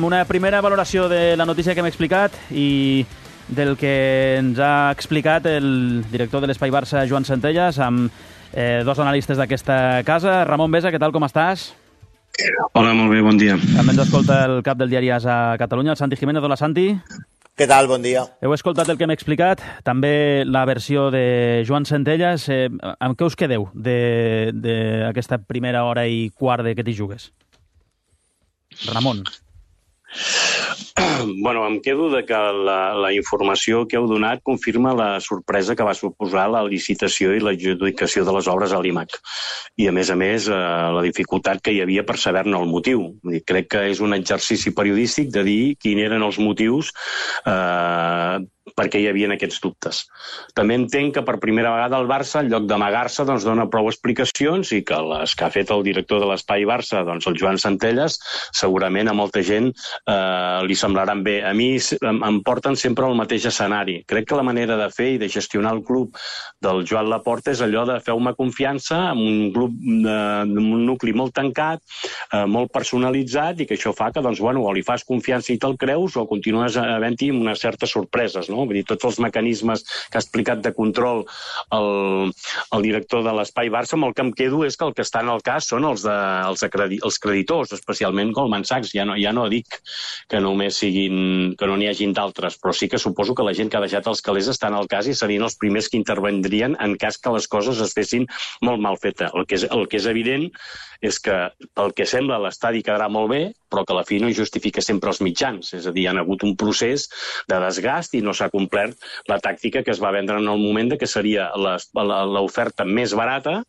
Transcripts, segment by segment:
Una primera valoració de la notícia que hem explicat i del que ens ha explicat el director de l'Espai Barça, Joan Centelles, amb dos analistes d'aquesta casa. Ramon Besa, què tal, com estàs? Hola, molt bé, bon dia. També ens escolta el cap del diari AS a Catalunya, el Santi Jiménez. Hola, Santi. Què tal? Bon dia. Heu escoltat el que hem explicat, també la versió de Joan Centelles. Amb què us quedeu d'aquesta primera hora i quart de que t'hi jugues? Ramon. Bueno, em quedo de que la informació que heu donat confirma la sorpresa que va suposar la licitació i l'adjudicació de les obres a l'IMAC. I, a més, la dificultat que hi havia per saber-ne el motiu. Crec que és un exercici periodístic de dir quins eren els motius perquè hi havia aquests dubtes. També entenc que per primera vegada el Barça, en lloc d'amagar-se, dona prou explicacions i que les que ha fet el director de l'Espai Barça, el Joan Centelles, segurament a molta gent li semblaran bé. A mi em porten sempre al mateix escenari. Crec que la manera de fer i de gestionar el club del Joan Laporta és allò de feu-me confiança amb un club amb un nucli molt tancat, molt personalitzat, i que això fa que o li fas confiança i te'l creus o continues havent-hi unes certes sorpreses. No? Vull dir, tots els mecanismes que ha explicat de control el director de l'Espai Barça, amb el que em quedo és que el que està en el cas són els creditors, especialment Goldman Sachs. Ja no dic que només que no n'hi hagin d'altres, però sí que suposo que la gent que ha deixat els calés està en el cas i serien els primers que intervendrien en cas que les coses es fessin molt mal fetes. El que és evident és que, pel que sembla, l'estadi quedarà molt bé, però que a la fi no justifica sempre els mitjans. És a dir, hi ha hagut un procés de desgast i no s'ha complert la tàctica que es va vendre en el moment de que seria l'oferta més barata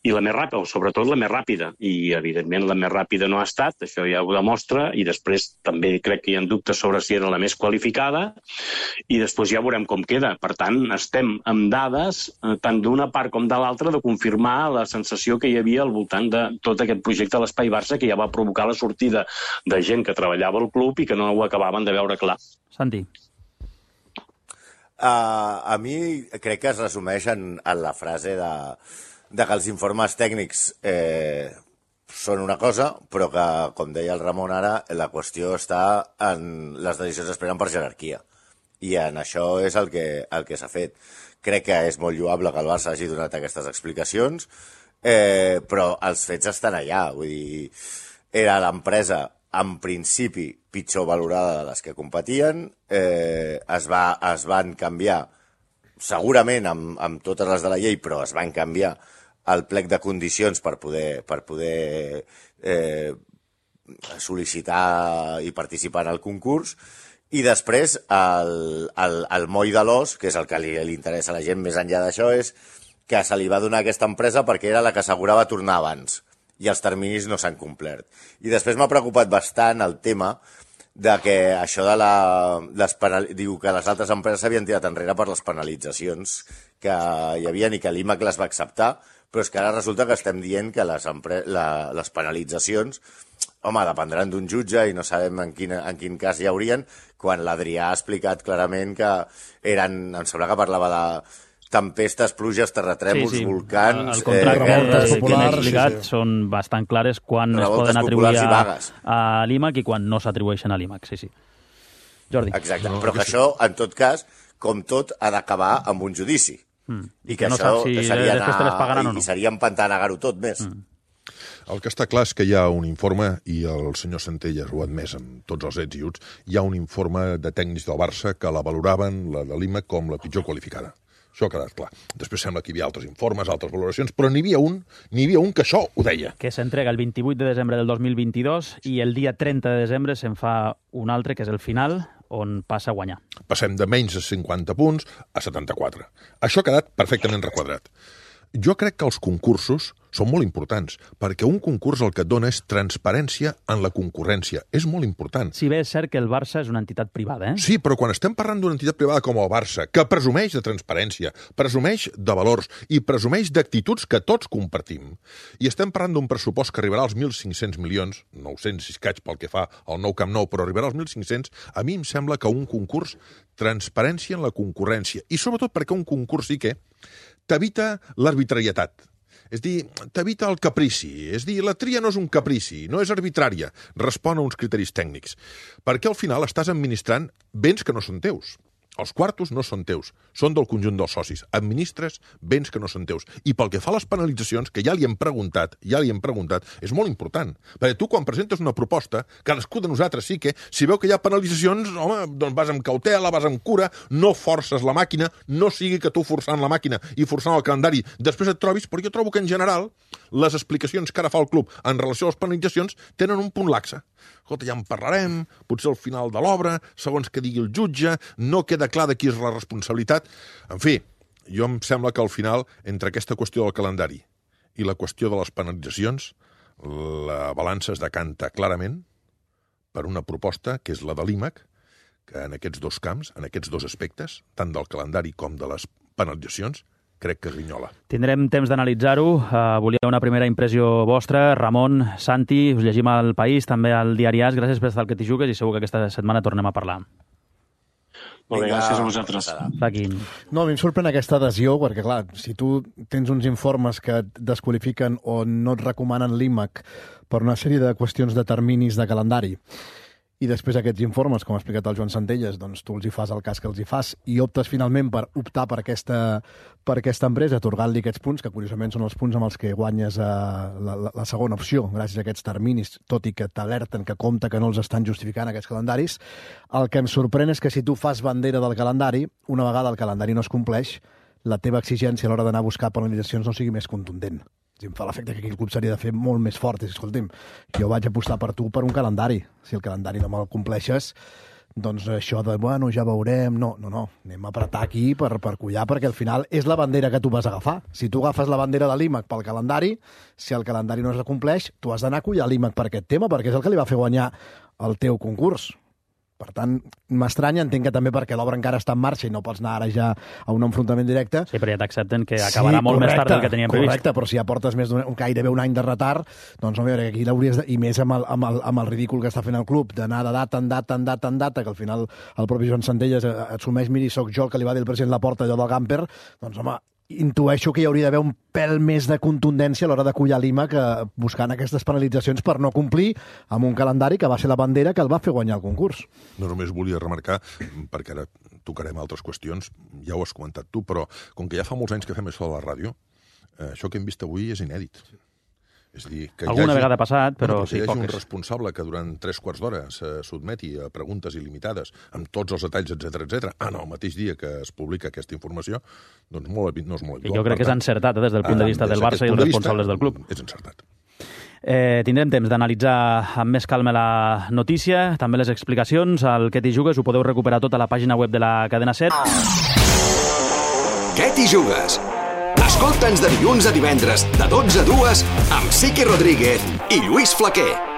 i la més ràpida, o sobretot la més ràpida. I, evidentment, la més ràpida no ha estat, això ja ho demostra, i després també crec que hi ha dubtes sobre si era la més qualificada, i després ja veurem com queda. Per tant, estem amb dades, tant d'una part com de l'altra, de confirmar la sensació que hi havia al voltant de tot aquest projecte a l'Espai Barça, que ja va provocar la sortida de gent que treballava al club i que no ho acabaven de veure clar. Santi. A mi crec que es resumeix en la frase de que els informes tècnics són una cosa, però que, com deia el Ramon ara, la qüestió està en les decisions es prenen per jerarquia. I en això és el que s'ha fet. Crec que és molt lloable que el Barça hagi donat aquestes explicacions, però els fets estan allà. Vull dir, era l'empresa, en principi, pitjor valorada de les que competien, es van canviar, segurament amb totes les de la llei, però es van canviar el plec de condicions per poder sol·licitar i participar en el concurs, i després el moll de l'os, que és el que li interessa a la gent més enllà d'això, és que se li va donar aquesta empresa perquè era la que assegurava tornar abans, i els terminis no s'han complert. I després m'ha preocupat bastant el tema de que això diu que les altres empreses s'havien tirat enrere per les penalitzacions que hi havia i que l'IMAC les va acceptar, però és que ara resulta que estem dient que les penalitzacions, home, dependran d'un jutge i no sabem en quin cas hi haurien, quan l'Adrià ha explicat clarament que eren, em sembla que parlava de tempestes, pluges, terratrèmols, volcans... El contracte que hem explicat són bastant clares quan es poden atribuir a l'IMAC i quan no s'atribueixen a l'IMAC, sí. Jordi. Exacte, però que això, en tot cas, com tot, ha d'acabar amb un judici. I que no això seria empantanegar-ho tot més. El que està clar és que hi ha un informe, i el senyor Centelles ho ha admès amb tots els ets i uts, hi ha un informe de tècnics del Barça que la valoraven, la de l'IMAC, com la pitjor qualificada. Això ha quedat clar. Després sembla que hi havia altres informes, altres valoracions, però n'hi havia un que això ho deia. Que s'entrega el 28 de desembre del 2022 i el dia 30 de desembre se'n fa un altre, que és el final, on passa a guanyar. Passem de menys de 50 punts a 74. Això ha quedat perfectament requadrat. Jo crec que els concursos són molt importants, perquè un concurs el que et dona és transparència en la concurrència. És molt important. Si bé és cert que el Barça és una entitat privada, Sí, però quan estem parlant d'una entitat privada com el Barça, que presumeix de transparència, presumeix de valors i presumeix d'actituds que tots compartim, i estem parlant d'un pressupost que arribarà als 1.500 milions, 900 i escaig pel que fa al nou Camp Nou, però arribarà als 1.500, a mi em sembla que un concurs, transparència en la concurrència, i sobretot perquè un concurs sí que t'evita l'arbitrarietat. És dir, t'evita el caprici. És dir, la tria no és un caprici, no és arbitrària. Respon a uns criteris tècnics. Perquè al final estàs administrant béns que no són teus. Els quartos no són teus, són del conjunt dels socis. Administres béns que no són teus. I pel que fa a les penalitzacions, que ja li hem preguntat, és molt important. Perquè tu, quan presentes una proposta, cadascú de nosaltres sí que, si veu que hi ha penalitzacions, home, doncs vas amb cautela, vas amb cura, no forces la màquina, no sigui que tu forçant la màquina i forçant el calendari després et trobis, perquè jo trobo que en general les explicacions que ara fa el club en relació a les penalitzacions tenen un punt laxe. Escolta, ja en parlarem, potser al final de l'obra, segons que digui el jutge, no queda clar de qui és la responsabilitat. En fi, jo em sembla que al final, entre aquesta qüestió del calendari i la qüestió de les penalitzacions, la balança es decanta clarament per una proposta que és la de l'IMAC, que en aquests dos camps, en aquests dos aspectes, tant del calendari com de les penalitzacions, crec que grinyola. Tindrem temps d'analitzar-ho. Volia una primera impressió vostra. Ramon, Santi, us llegim al País, també al Diari As. Gràcies per estar al Que t'hi jugues i segur que aquesta setmana tornem a parlar. Molt bé, gràcies a vosaltres. Joaquín. No, a mi em sorprèn aquesta adhesió, perquè, clar, si tu tens uns informes que et desqualifiquen o no et recomanen l'IMAC per una sèrie de qüestions de terminis de calendari, i després aquests informes, com ha explicat el Joan Centelles, doncs tu els hi fas el cas que els hi fas i optes finalment per optar per aquesta empresa, atorgant-li aquests punts, que curiosament són els punts amb els que guanyes la segona opció, gràcies a aquests terminis, tot i que t'alerten que compta que no els estan justificant aquests calendaris. El que em sorprèn és que si tu fas bandera del calendari, una vegada el calendari no es compleix, la teva exigència a l'hora d'anar a buscar penalitzacions no sigui més contundent. Em fa l'efecte que aquí el club s'hauria de fer molt més fort. Escolti'm, jo vaig apostar per tu per un calendari. Si el calendari no me'l compleixes, doncs això de, bueno, ja veurem... No. Anem a apretar aquí per collar, perquè al final és la bandera que tu vas agafar. Si tu agafes la bandera de l'IMAC pel calendari, si el calendari no es compleix, tu has d'anar a collar l'IMAC per aquest tema, perquè és el que li va fer guanyar el teu concurs. Per tant, m'estranya, entenc que també perquè l'obra encara està en marxa i no pots anar ara ja a un enfrontament directe. Sí, però ja t'accepten que acabarà molt més tard del que teníem previst. Correcte, però si ja portes gairebé un any de retard, doncs no, a veure, aquí l'hauries de... I més amb el ridícul que està fent el club, d'anar de data en data, que al final el propi Joan Centelles assumeix, miri, soc jo el que li va dir el president Laporta allò del Gamper, doncs home, intueixo que hi hauria d'haver un pèl més de contundència a l'hora de collar l'IMAC buscant aquestes penalitzacions per no complir amb un calendari que va ser la bandera que el va fer guanyar el concurs. No només volia remarcar, perquè ara tocarem altres qüestions, ja ho has comentat tu, però com que ja fa molts anys que fem això a la ràdio, això que hem vist avui és inèdit. És dir, que alguna vegada ha passat, però sí, poques. Hi hagi un responsable que durant 3/4 d'hora se sotmeti a preguntes il·limitades amb tots els detalls, etc. El mateix dia que es publica aquesta informació, doncs no és molt habitual. I jo crec que és encertat des del punt de vista del Barça i els responsables del club. És encertat. Tindrem temps d'analitzar amb més calma la notícia, també les explicacions. Al Que t'hi jugues ho podeu recuperar tot a la pàgina web de la Cadena 7. Què t'hi jugues? Escolta'ns de dilluns a divendres, de 12 a 2, amb Siqui Rodríguez i Lluís Flaquer.